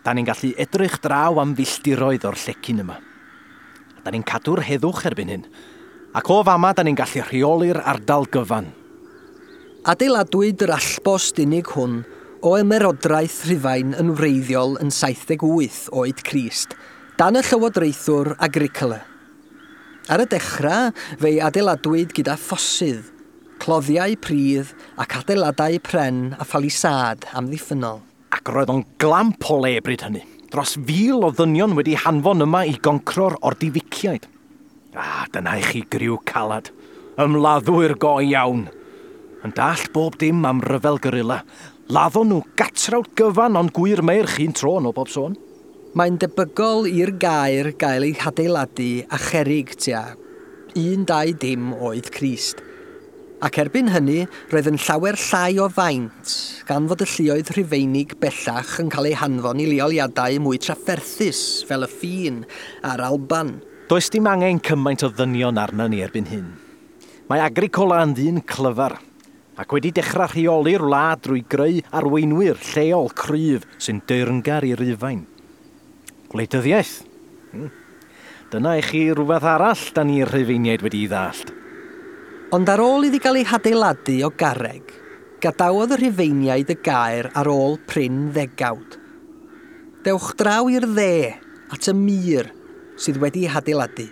Da ni'n gallu edrych draw am filltiroedd o'r llecyn yma. A da ni'n cadw'r heddwch erbyn hyn. Ac o fama da ni'n gallu rheoli'r ardal gyfan. Adeiladwyd yr allbost unig hwn o ymerodraeth Rhufain yn wreiddiol yn 78 oed Crist, dan y llywodraethwr Agricola. Ar y dechrau, fe'i adeiladwyd gyda ffosydd, cloddiau pridd ac adeiladau pren a phalisâd amddiffynnol. Ac roedd o'n glamp o le bryd hynny. Dros 1,000 o ddynion wedi hanfon yma i goncro'r Ordificiaid. A, dyna i chi griw calad. Ymladdwyr go iawn. Yn dallt bob dim am ryfel gorilla. Laddon nhw gatrawd gyfan ond gwir meirch un tro yn ôl bob sôn. Mae'n debygol i'r gaer gael ei hadeiladu a cherig tua 120 oed Crist. Ac erbyn hynny, roedd yn llawer llai o faint, gan fod y lluoedd Rhufeinig bellach yn cael eu hanfon i leoliadau mwy trafferthus fel y ffin a'r Alban. Does dim angen cymaint o ddynion arna ni erbyn hyn. Mae Agricola yn ddyn clyfar, ac wedi dechrau rheoli'r wlad drwy greu arweinwyr lleol cryf sy'n deyrngar i Rufain. Gwleidyddiaeth. Dyna i chi rhywbeth arall da ni'r Rhufeiniaid wedi'i ddallt. Ond ar ôl iddi gael ei hadeiladu o garreg, gadawodd y Rhufeiniaid y gaer ar ôl prin ddegawd. Dewch draw i'r dde at y mur sydd wedi ei hadeiladu.